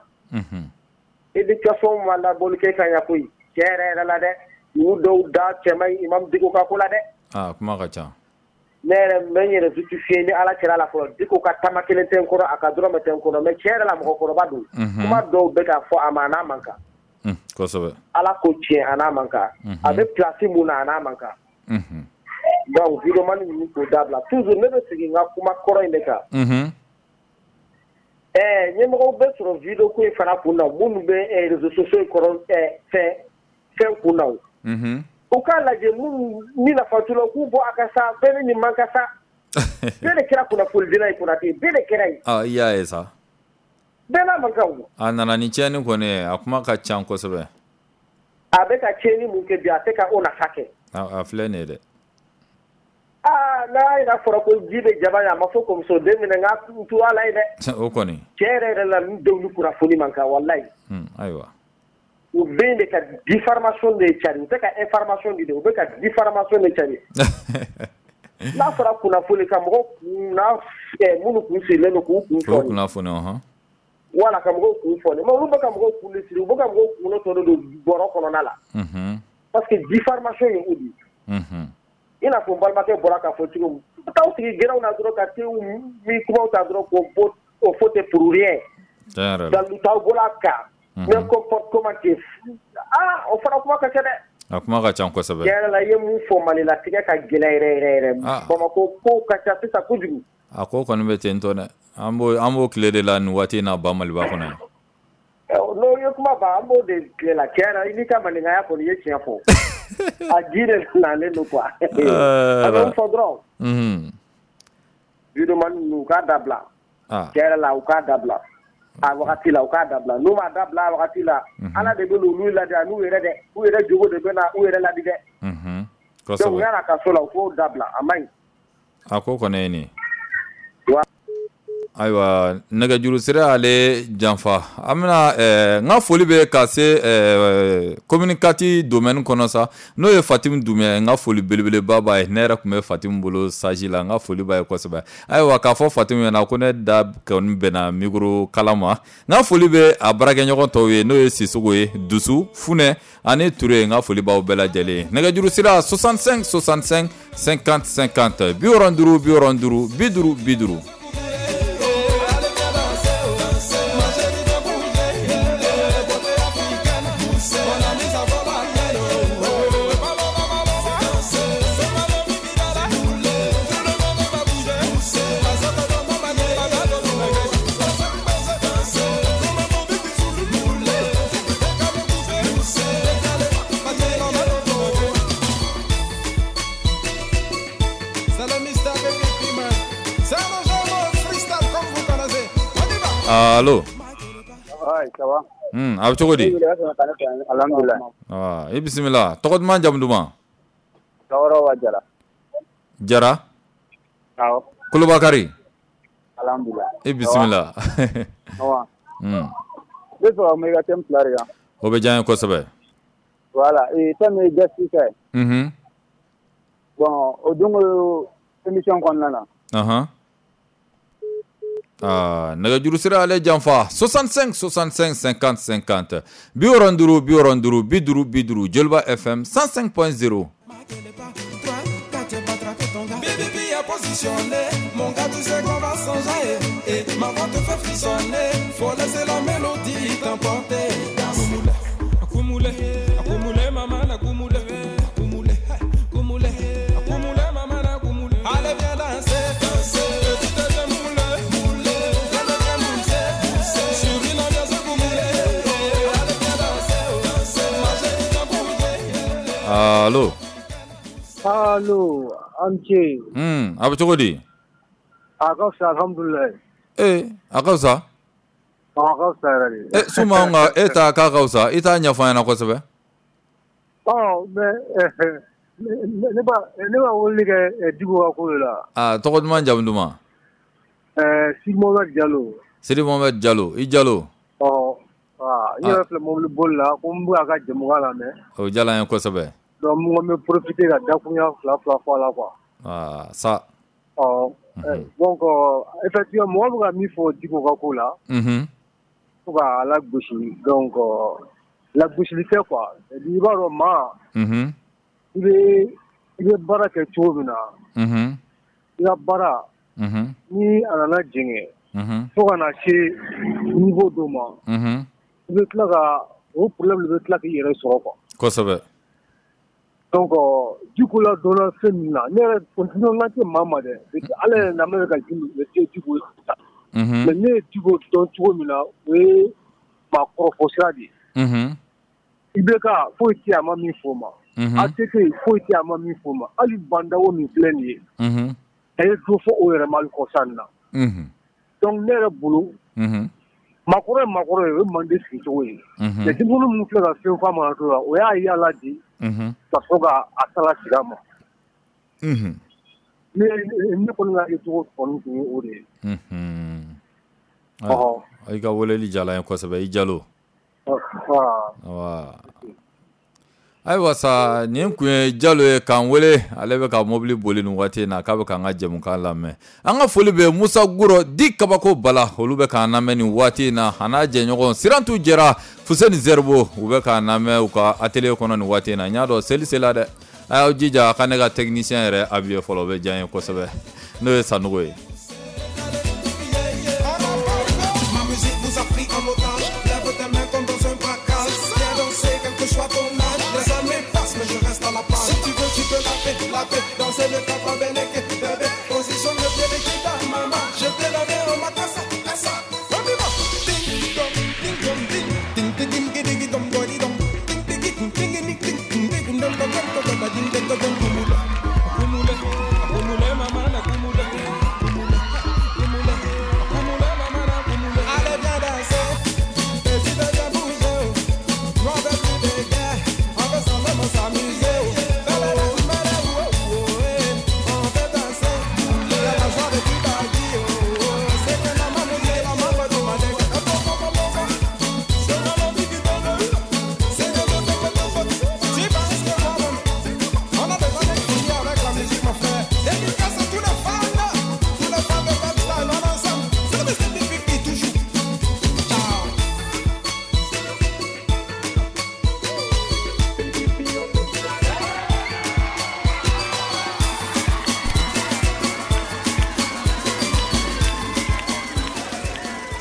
Éducation ma labɔli kɛ ka ɲɛ koyi, tiɲɛ yɛrɛ yɛrɛ la dɛ, ninnu dɔw da cɛ man ɲi imam Dicko ka ko la dɛ. Ah, kuma ka ca. Ne yɛrɛ n bɛ n yɛrɛ justifier ni Ala cɛla la fɔlɔ, Dicko ka taama kelen tɛ n kɔrɔ, a ka dɔrɔmɛ tɛ n kɔnɔ, mais tiɲɛ yɛrɛ la mɔgɔkɔrɔba don. Kuma dɔw bɛ ka fɔ a ma, a n'a man kan. Kosɛbɛ. Ala ko tiɲɛ, a n'a man kan. A bɛ place mun na, a n'a man kan. Donc vidéoman ninnu k'o dabila, toujours ne bɛ segin n ka kuma kɔrɔ in de kan. Ɲɛmɔgɔw bɛ sɔrɔ vidéo ko in fana kun na, minnu bɛ réseaux sociaux in kɔrɔ, fɛn kun na o. U k'a lajɛ minnu ni nafa t'u la, u k'u bɔ a ka sa, bɛɛ ni nin man ka sa. Bɛɛ de kɛra kunnafonidila ye Konate, bɛɛ de kɛra yen. Ah, i y'a ye sa. Bɛɛ n'a man kan o. A nana ni tiɲɛni kɔni ye, a kuma ka ca kosɛbɛ. A bɛ ka tiɲɛni mun kɛ bi, a tɛ ka o nafa kɛ. A filɛ nin ye dɛ. Aa, n'a yɛrɛ fɔra ko ji bɛ jaba ye, a ma fɔ ko muso den minɛ, n ka tu ala ye dɛ. O kɔni. Tiɲɛ yɛrɛ yɛrɛ la, ninnu denw ni kunnafoni man kan, walayi. Ayiwa. U bɛ de ka diffamation de cari, u tɛ ka information di dɛ, u bɛ ka diffamation de cari. N'a fɔra kunnafoni ka mɔgɔw kun n'a minnu kun sirilen don k'u kun fɔni. Kunnafoni, ɔhɔn. Wala ka mɔgɔw kun fɔni, mais olu bɛ ka mɔgɔw kun de siri, u bɛ ka mɔgɔw kunkolo tɔ don bɔrɔ kɔnɔna la. Parce que diffamation ye o de ye. I n'a fɔ n balimakɛ bɔra k'a fɔ cogo min, u t'aw sigi gɛrɛnw na dɔrɔn ka tew min kumaw ta dɔrɔn k'o bɔ o fɔ ten pour rien. Dalu t'aw bolo a kan. Mais comportement tɛ, aa, o fana kuma ka ca dɛ. A kuma ka ca kosɛbɛ. Tiɲɛ yɛrɛ la, i ye mun fɔ Mali la, tigɛ ka gɛlɛn yɛrɛ yɛrɛ yɛrɛ. Bamakɔ kow ka ca sisan kojugu. A ko kɔni bɛ ten tɔ dɛ. An b'o tile de la nin waati in na ba Maliba kɔnɔ yan. N'o ye kuma ban, an b'o de tile la. Tiɲɛ yɛrɛ, i n'i ka maninkaya kɔni, i ye tiɲɛ fɔ. A ji de nalen don quoi. A bɛ mun fɔ dɔrɔn. Vidéoman ninnu, u k'a dabila. Tiɲɛ yɛrɛ la, u k'a dabila. A wagati la, u k'a dabila. N'u m'a dabila a wagati la, Ala de bɛ n'olu ladi, a n'u yɛrɛ dɛ. U yɛrɛ jogo de bɛ na u yɛrɛ ladi dɛ. Donc yan'a ka so la, u k'o dabila, a man ɲi. A ko kɔni ye nin ye. Ayiwa, nɛgɛjuru sira ale janfa. An bɛna n ka foli bɛ ka se commune 4 domaine kɔnɔ sa, n'o ye Fatimu Dunbiya ye. N ka foli belebeleba b'a ye. Ne yɛrɛ tun bɛ Fatimu bolo sage la, n ka foli b'a ye kosɛbɛ. Ayiwa, k'a fɔ Fatimu ɲɛna ko ne da kɔni bɛnna micro kala ma. N ka foli bɛ a baarakɛɲɔgɔn tɔw ye, n'o ye Sisoko ye, Dusu, Funɛ ani Ture. N ka foli b'aw bɛɛ lajɛlen ye. Nɛgɛjuru sira 65 65 50 50, 65 65 50 50. Allo. Ouais, ça va? A bɛ cogo di? Alhamdulillah. Ah, i bisimila. Tɔgɔ duman, jamu duman? Tɔɔrɔ wa Jara. Jara? Awɔ. Kolobakari. Alhamdulillah. I bisimila. Awa. Ne bɛ fɛ ka kuma i ka thème fila de kan. O bɛ diya n ye kosɛbɛ. Voilà, thème ye justice ye. Bon, o don émission kɔnɔna na. Ahan. Ah, nɛgɛjuru sira ale janfa 65 65 50 50, 65 65 50 50, Joliba FM 105.0. Mon gars, tu sais qu'on va s'enjailler. Et ma voix te fait frissonner. Faut laisser la mélodie t'emporter. Accumulé, accumulé, maman, accumulé, accumulé, accumulé, accumulé, maman, accumulé. Allez, viens danser, danser. Tu te démoules, moulé. Allez, viens mousser, mousser. Sur une ambiance accumulée. Allez, viens danser, danser. Ma chérie, viens bouger. Allô. Allô. An ce. A bɛ cogo di? A ka fisa, alhamdulilayi. Ee, a ka fisa? A ka fisa yɛrɛ de. E Suma, nka e ta k'a ka fisa, i t'a ɲɛfɔ an ɲɛna kosɛbɛ. Ɔ mais ne b'a weleli kɛ Dicko ka ko de la. Aa, tɔgɔ duman, jamu duman? Sidi Mohamed Jalo. Sidi Mohamed Jalo, i Jalo. Ɔ, n yɛrɛ filɛ mobili boli la, ko n bɛ a ka jɛmukan lamɛn. O diyara n ye kosɛbɛ. Donc n ko n bɛ profiter ka dakurunya fila fila fɔ a la quoi. Aa sa. Ɔ donc effectivement mɔgɔ bɛ ka min fɔ Dicko ka ko la. Fo k'a lagosi, donc lagosili tɛ quoi, i b'a dɔn maa. I bɛ baara kɛ cogo min na. I ka baara. Ni a nana jɛngɛ. Fo ka na se niveau dɔ ma. I bɛ tila ka o problème de bɛ tila k'i yɛrɛ sɔrɔ quoi. Kosɛbɛ. Donc Dicko la dɔnna fɛn min na, ne yɛrɛ n tɛ maa ma dɛ, ala yɛrɛ na bɛ ka Dicko ta. Mais ne ye Dicko dɔn cogo min na, o ye maa kɔrɔfɔ sira de ye. IBK foyi tɛ a ma min fɔ o ma. ATT foyi tɛ a ma min fɔ o ma. Hali Bandawo min filɛ nin ye. A ye dɔ fɔ o yɛrɛ ma hali kɔsa in na. Donc ne yɛrɛ bolo. Maakɔrɔ ye maakɔrɔ ye, o ye mande sigi cogo ye. Mais denmisɛnnin minnu filɛ ka fɛn fɔ a ma to la, o y'a yala di. Ka sɔrɔ ka a sala sigi a ma. Ne kɔni ka cogo kɔni tun ye o de ye. Ɔhɔ. I ka weleli diyara n ye kosɛbɛ, i Jalo. Ayiwa sa, nin kun ye Jalo ye k'an wele, ale bɛ ka mobili boli nin waati in na, k'a bɛ k'an ka jɛmukan lamɛn. An ka foli bɛ Musa Guro di Kabako Bala, olu bɛ k'an lamɛn nin waati in na, a n'a jɛɲɔgɔn Sirantu Jɛra, Fuseni Zɛribo, u bɛ k'an lamɛn u ka atelier kɔnɔ nin waati in na. N y'a dɔn seli sela dɛ, a y'aw jija a ka ne ka technicien yɛrɛ habillé fɔlɔ, o bɛ diya n ye kosɛbɛ, n'o ye Sanogo ye. Danser le capabeneke, bébé, position le pied de kita, maman, je te donne au matin, ça, ça, on y va. Ding dong, ding dong, ding, ding ding ding ding dong dong dong, ding ding ding ding ding ding ding dong dong dong dong ding ding dong dong. Kumule, kumule, maman, kumule, kumule, kumule, kumule, maman, kumule. Allez viens danser, et tu veux bien bouger, nous on veut plus de guerre, on veut seulement s'amuser.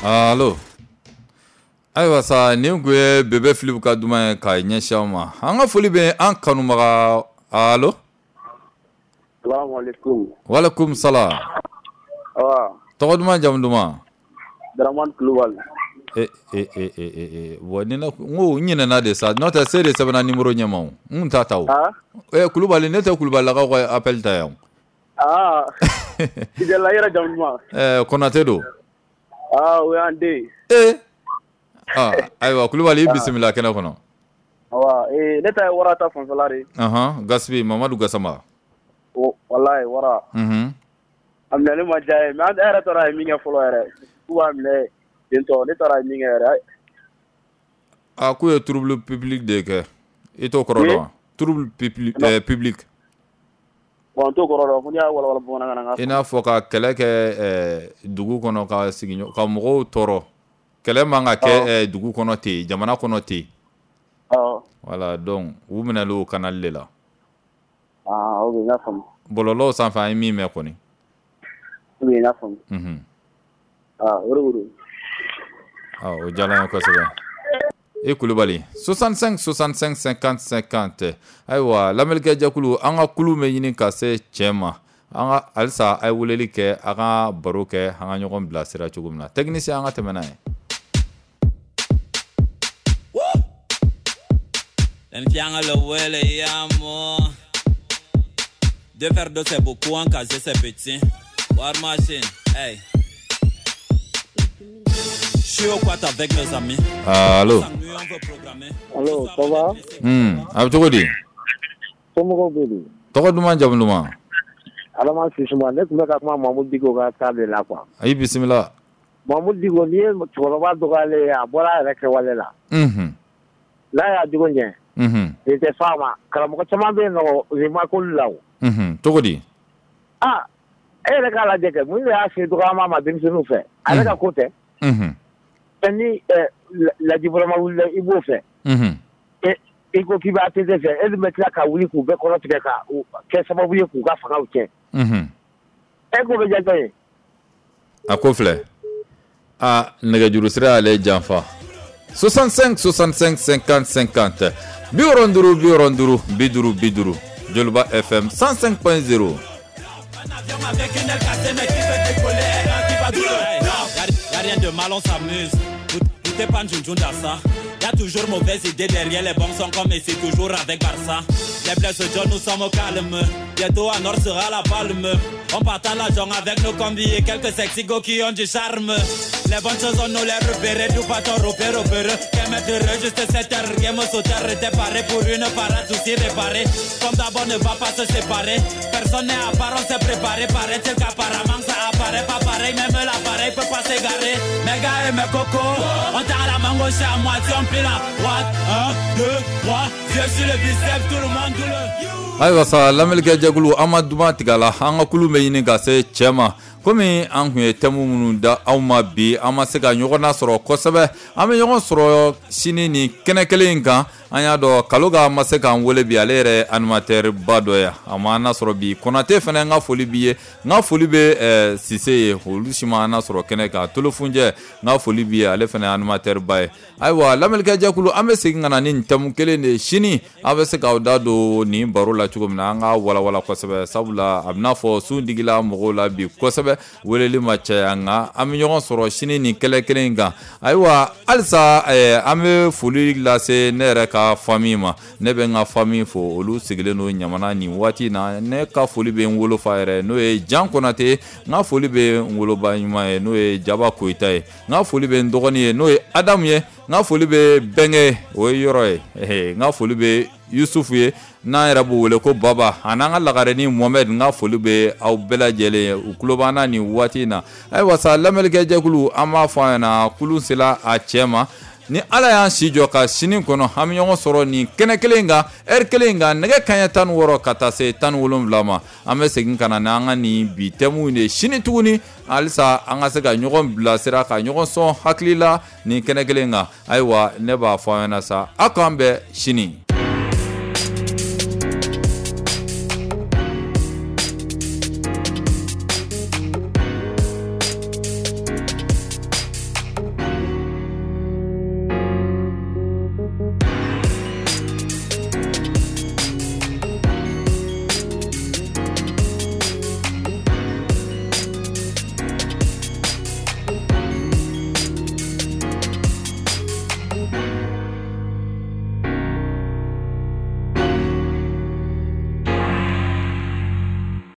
Allo. Ayiwa sa, nin kun ye Bebe Philippe ka duman ye k'a ɲɛsin aw ma. An ka foli bɛ an kanubaga. Allo. Salaamaaleykum. Walekum salam. Tɔgɔ duman, jamu duman? Dramane Kulubali. E bon, ni ne n ko n ɲinɛna de sa, n'o tɛ se de sɛbɛnna numéro ɲɛma o, n kun t'a ta o. Kulubali, ne tɛ Kulubalilakaw ka appel ta yan. Aa. Idala yɛrɛ jamu duman? Konate don. Aa, o y'an den. Ee. Aa, ayiwa Kulubali, i bisimila kɛnɛ kɔnɔ. Awa, ne ta ye wara ta fanfɛla de ye. Gasibi Mamadu Gasama. Walayi wara. A minɛli ma diya ye, mais an yɛrɛ taara ye min kɛ fɔlɔ yɛrɛ. K'u b'a minɛ ten tɔ, ne taara ye min kɛ yɛrɛ. A k'u ye trouble public de kɛ. I t'o kɔrɔ dɔn wa? Trouble public. Bon, n t'o kɔrɔ dɔn, ko n'i y'a walawala bamanankan na. I n'a fɔ ka kɛlɛ kɛ dugu kɔnɔ, ka sigi ka mɔgɔw tɔɔrɔ. Kɛlɛ man ka kɛ dugu kɔnɔ ten, jamana kɔnɔ ten. Voilà, donc u minɛlen o canal de la. Ah, ok, n y'a faamu. Bɔlɔlɔw sanfɛ an ye min mɛn kɔni. Ok, n y'a faamu. Ah, o de don. Ah, o diyara n ye kosɛbɛ. I Kulubali 65 65 50 50. Ayiwa, lamɛnnikɛ jɛkulu, an ka kulu bɛ ɲini ka se cɛ ma. An ka halisa a ye weleli kɛ, a ka baro kɛ, an ka ɲɔgɔn bilasira cogo min na. Technicien, an ka tɛmɛ n'a ye. Deux verres d'eau, c'est beaucoup, un casier, c'est petit. War machine, hey. Je suis au quat avec mes amis. Allo. Allo, ça va? A bɛ cogo di? Somɔgɔw bɛ di? Tɔgɔ duman, jamu duman? Adama Sisuma, ne tun bɛ ka kuma Mamudu Diko ka cas de la quoi. Ayi, bisimila. Mamudu Diko, n'i ye cɛkɔrɔba dɔgɔyalen ye, a bɔra a yɛrɛ kɛwale la. N'a y'a jogo ɲɛ. Nin tɛ f'a ma. Karamɔgɔ caman bɛ yen nɔ, u ma k'olu la o. Cogo di? Ah, e yɛrɛ k'a lajɛ kɛ, mun de y'a se dɔgɔyama ma denmisɛnninw fɛ? A yɛrɛ ka ko tɛ. Ni lajibɔrɔma wulila i b'o fɛ. I ko k'i b'a ATT fɛ, e dun bɛ tila ka wuli k'u bɛɛ kɔrɔ tigɛ ka kɛ sababu ye k'u ka fangaw tiɲɛ. E ko bɛ diya jɔn ye? A ko filɛ, a nɛgɛjuru sira y'ale janfa. 65 65 50 50, 65 65 50 50, Joliba FM 105.0. Rien de mal, on s'amuse. T'es pas ça. Y'a toujours mauvaise idée derrière les bons sons comme ici, toujours avec Barça. Les blessés de nous sommes au calme. Bientôt à Nord sera la palme. On partage l'argent avec nos combis et quelques sexy go qui ont du charme. Les bonnes choses on nous les repère, tout pas ton repère, repère. Qu'est mettre juste 7 heures, game sauter, t'es paré pour une parade souci réparée. Comme d'abord ne va pas se séparer. Personne n'est à part, on s'est préparé. Paraît-il qu'apparemment ça apparaît pas pareil. Même l'appareil peut pas s'égarer. Mes gars et mes cocos, on t'a la mango chez à moitié, on pile à droite. 1, 2, 3, yeux sur le biceps, tout le monde, tout le. Ayiwa sa, lamɛnnikɛ jɛkulu, an ma duman tigɛ la, an ka kulu bɛ ɲini ka se cɛ ma. Komi an kun ye thème minnu da aw ma bi, an ma se ka ɲɔgɔn nasɔrɔ kosɛbɛ. An bɛ ɲɔgɔn sɔrɔ sini ni kɛnɛ kelen in kan. An y'a dɔn Kaloga ma se k'an wele bi, ale yɛrɛ animateur ba dɔ ye, a ma an nasɔrɔ bi. Konate fana, n ka foli b'i ye, n ka foli bɛ Sise ye, olu si ma an nasɔrɔ kɛnɛ kan. Tolofunjɛ, n ka foli b'i ye, ale fana animateur ba ye. Ayiwa lamɛnnikɛ jɛkulu, an bɛ segin ka na ni nin thème kelen de ye sini. Aw bɛ se k'aw da don nin baro la cogo min na, an ka walawala kosɛbɛ, sabula a bɛna fɔ sun digila mɔgɔw la bi kosɛbɛ, weleli ma caya, nka an bɛ ɲɔgɔn sɔrɔ sini nin kɛlɛ kelen in kan. Ayiwa halisa an bɛ foli lase ne yɛrɛ ka famille ma. Ne bɛ n ka famille fo, olu sigilen don Ɲamana nin waati in na. Ne ka foli bɛ n wolofa yɛrɛ, n'o ye Jan Konate. N ka foli bɛ n woloba ɲuman ye, n'o ye Jaba Koyita ye. N ka foli bɛ n dɔgɔnin ye, n'o ye Adamu ye. N ka foli bɛ Bɛnkɛ, o ye yɔrɔ ye. N ka foli bɛ Yusufu ye, n'an yɛrɛ b'o wele ko Baba, a n'an ka lagarenin Mohamɛd. N ka foli bɛ aw bɛɛ lajɛlen ye, u tulo b'an na nin waati in na. Ayiwa sa lamɛnnikɛ jɛkulu, an b'a fɔ a ɲɛna kulun sera a cɛ ma. Ni Ala y'an si jɔ ka sini kɔnɔ, an bɛ ɲɔgɔn sɔrɔ nin kɛnɛ kelen kan, heure kelen kan, nɛgɛ kanɲɛ 16 ka taa se 17 ma. An bɛ segin ka na n'an ka nin bi thème de sini tuguni, halisa an ka se ka ɲɔgɔn bilasira, ka ɲɔgɔn sɔn hakili la nin kɛnɛ kelen kan. Ayiwa ne b'a fɔ aw ɲɛna sa, aw k'an bɛn sini.